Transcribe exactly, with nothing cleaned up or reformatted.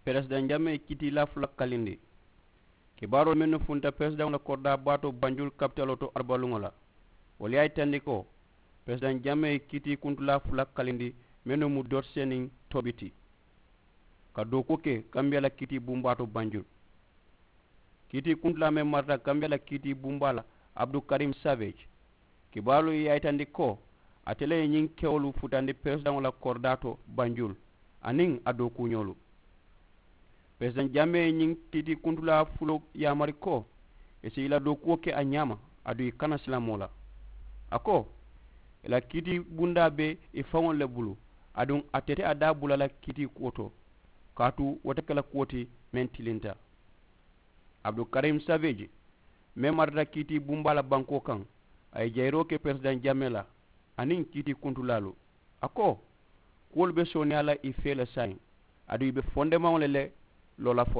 Peresidaŋ jamee ye kiitiilaa fula kalindi. Kibaaroo mennu funta peresidaŋo la koridaa baa to banjulu kapitaloo to arubaluŋo la, wolu ye a yitandi ko peresidaŋ jamee ye kiitii kuntulaa fula kalindi, mennu mu doti seniŋ tobi ti, ka dookuwo ke kambiyaa la kiitii bumbaa to banjulu. Kiitii kuntulaa meŋ marata kambiyaa la kiitii bumbaa la, abdul karim savage, kibaaroo ye a yitandi ko ate le ye ñiŋ kewolu futandi peresidaŋo la koridaa to banjulu aniŋ a dookuuñoolu. Peresidaŋ jamee ye ñiŋ kiitii kuntulaa fuloo yaamari ko i si i la dookuwo ke a ñaama, aduŋ i kana silaŋ moo la. A ko i la kiitii bundaa be i faŋolu le bulu, aduŋ ate te a daa bula la kiitii kuwo to, kaatu wo te ke la kuwo ti meŋ tilinta. Abdul karim savage, meŋ marata kiitii bumbaa la bankoo kaŋ, a ye jayiroo ke peresidaŋ jamee la aniŋ kiitii kuntulaalu. A ko kuwolu be sooneeyaa la i fee le saayiŋ, aduŋ i be fondemaŋo le la loo la foloo.